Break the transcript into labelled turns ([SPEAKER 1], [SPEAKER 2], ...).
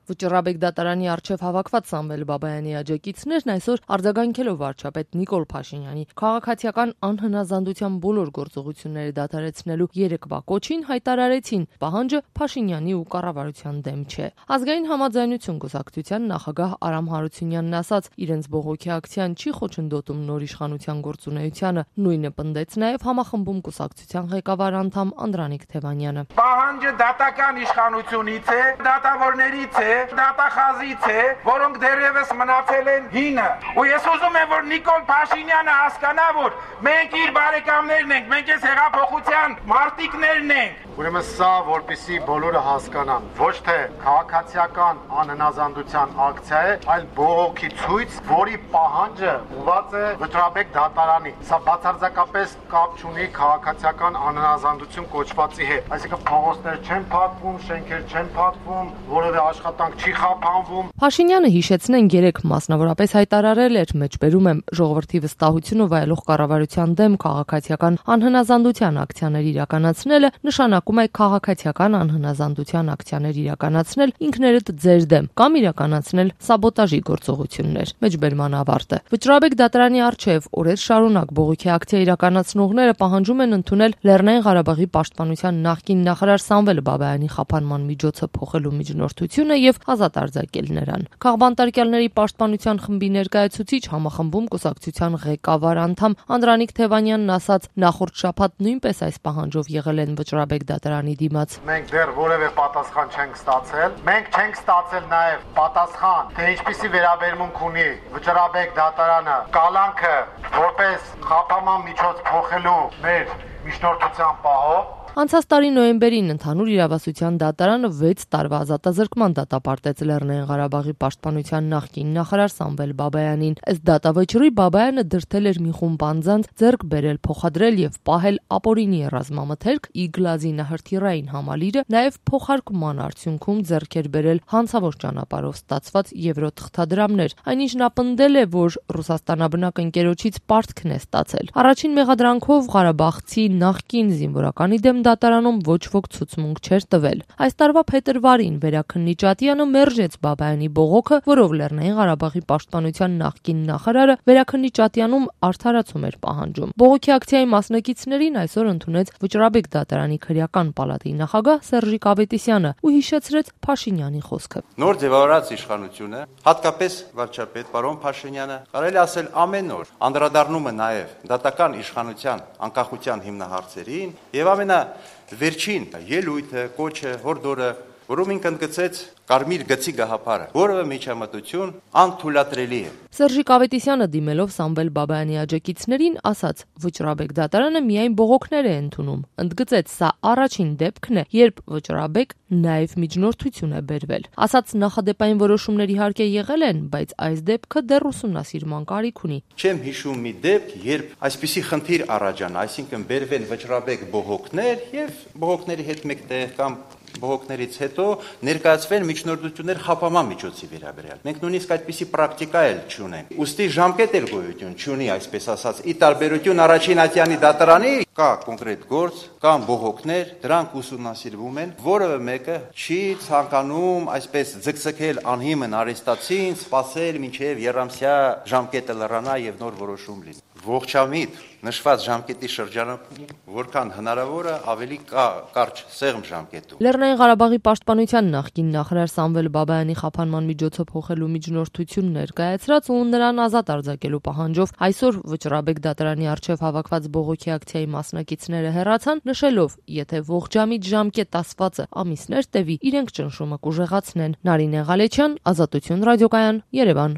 [SPEAKER 1] Վճռաբեկ դատարանի առջև հավաքված Սամվել Բաբայանի աջակիցներն այսօր արձագանքելով վարչապետ Նիկոլ Փաշինյանի քաղաքացիական անհնազանդության բոլոր գործողությունները դադարեցնելու երեկվա կոչին հայտարարեցին, պահանջը Փաշինյանի ու կառավարության դեմ չէ։ Ազգային համաձայնություն կուսակցության նախագահ Արամ Հարությունյանն ասաց, իրենց բողոքի ակցիան չի խոչընդոտում նոր իշխանության գործունեությանը, նույնը պնդեց նաև համախմբում կուսակցության ղեկավար անդամ Անդրանիկ Թևանյանը։
[SPEAKER 2] Պահանջը դատական իշխանությունից է, դատավորներից է, դատախազից է, որոնք դեռևս մնացել են հինը։ Ու ես ուզում եմ, որ Նիկոլ Փաշինյանը հասկանա, որ մենք իր բարեկամներն ենք, մենք այս հեղափոխության մարտիկներն ենք։
[SPEAKER 3] Ուրեմն սա, որպեսզի բոլորը հասկանան, ոչ թե քաղաքացիական անհնազանդության ակցիա է, այլ բողոքի ցույց, որի պահանջը ուղղված է Վճռաբեկ դատարանի։ Սա բացարձակապես կապ չունի քաղաքացիական անհնազանդություն կոչվածի հետ։ Այսինքն փողոցներ չեն փակվում, շենքեր չեն փակվում, որևէ աշխատանք չի խափանվում։
[SPEAKER 1] Փաշինյանը հիշեցնեն երեք մասնավորապես հայտարարել էր, մեջբերում եմ ժողովրդի վստահությունը վայելող կառավարության դեմ քաղաքացիական անհնազանդության ակցիաներ իրականացնելը նշանակում է քաղաքացիական անհնազանդության ակցիաներ իրականացնել ինքներդ ձեր դեմ կամ իրականացնել սաբոտաժի գործողություններ։ Մեջբերման ավարտը։ Վճռաբեկ դատարանի առջև օրեր շարունակ բողոքի ակցիա իրականացնողները պահանջում են ընդունել Լեռնային Ղարաբաղի պաշտպանության նախկին նախարար Սամվել Բաբայանի խափանման միջոցը փոխելու միջնորդությունը եւ ազատ արձակել նրան։ Քաղբանտարկյալների պաշտպանության խմբի ներկայացուցիչ համախմբում կուսակցության ղեկավար անդամ Անդրանիկ Թևանյանն ասաց, նախորդ շաբաթ նույնպես այս պահանջով եղել են Վճռաբեկ դատարանի դիմաց։
[SPEAKER 3] Մենք դեռ որևէ պատասխան չենք ստացել։ Մենք չենք ստացել նաև պատասխան, թե ինչպիսի վերաբերմունք ունի Վճռաբեկ դատարանը կալանքը որպես խափանման միջոց փոխելու մեր միջնորդության պահով։
[SPEAKER 1] Անցած տարի նոյեմբերին ընդհանուր իրավասության դատարանը 6 տարվա ազատազրկման դատապարտեց Լեռնային Ղարաբաղի պաշտպանության նախկին նախարար Սամվել Բաբայանին։ Ըստ դատավճռի Բաբայանը դրդել էր մի խումբ անձանց ձեռք բերել, փոխադրել եւ պահել ապօրինի ռազմամթերք, Իգլազի նահրթիռային համալիրը, նաեւ փոխարկման արդյունքում ձեռք էր բերել հանցավոր ճանապարհով ստացված եվրո թղթադրամներ։ Այնինչ նա պնդել է, որ Ռուսաստանաբնակ ընկերոջից պարտքն է ստացել։ Առաջին մեղադրանքով Ղարաբաղցի նախկին զինվորականի դեմ դատարանում ոչ ոք ցուցմունք չէր տվել։ Այս տարվա փետրվարին Վերաքննիչատյանը մերժեց Բաբայանի բողոքը, որով Լեռնային Ղարաբաղի պաշտպանության նախկին նախարարը Վերաքննիչատյանում արդարացում էր պահանջում։ Բողոքի ակցիայի մասնակիցներին այսօր ընդունեց Վճռաբեկ դատարանի քրեական պալատի նախագահ Սերժիկ Ավետիսյանը ու հիշեցրեց Փաշինյանի խոսքը։
[SPEAKER 4] Նոր ձևավորած իշխանությունը, հատկապես վարչապետ պարոն Փաշինյանը, կարելի ասել ամեն օր անդրադառնում է նաև դատական իշխանության անկախության հիմնահարցերին եւ վերջին ելույթը, կոչը, հորդորը, որում ինքն ընդգծեց կարմիր գծի գաղափարը, որևէ միջամտություն անթույլատրելի է։
[SPEAKER 1] Սերժիկ Ավետիսյանը դիմելով Սամվել Բաբայանի աջակիցներին ասաց, Վճռաբեկ դատարանը միայն բողոքներ է ընդունում։ Ընդգծեց, սա առաջին դեպքն է, երբ Վճռաբեկ նաև միջնորդություն է բերվել։ Ասաց նախադեպային որոշումներ իհարկե եղել են, բայց այս դեպքը դեռ ուսումնասիրման կարիք ունի։
[SPEAKER 4] Չեմ հիշում մի դեպք, երբ այսպիսի խնդիր առաջանա, այսինքն բերվեն Վճռաբեկ բողոքներ եւ բողոքների հետ մեկտեղ կամ բողոքներից հետո ներկայացվեն միջնորդություններ խափանման միջոցի վերաբերյալ։ Մենք նույնիսկ այդպիսի պրակտիկա էլ չունենք։ Ուստի ժամկետ էլ գոյություն չունի, այսպես ասած, ի տարբերություն առաջին ատյանի դատարանի կա կոնկրետ գործ, կան բողոքներ, դրանք ուսումնասիրվում են, որևէ մեկը չի ցանկանում այսպես ձգձգել անհիմն արեստացին, սпасել մինչև երամսյա ժամկետը լրանա եւ նոր որոշում լինի։ Ողջամիտ նշված ժամկետի շրջանակում որքան հնարավոր է ավելի կարճ սեղմ ժամկետում։
[SPEAKER 1] Լեռնային Ղարաբաղի պաշտպանության նախկին նախարար Սամվել Բաբայանի խափանման միջոցը փոխելու միջնորդություն ներկայացրած ու նրան ազատ արձակելու պահանջով այսօր Վճռաբեկ դատարանի առջև հավաքված բողոքի ակցիայի մասնակիցները հեռացան, նշելով, եթե ողջամիտ ժամկետ ասվածը ամիսներ տևի, իրենք ճնշումը կուժեղացնեն։ Նարինե Ղալեչյան, Ազատություն ռադիոկայան, Երևան։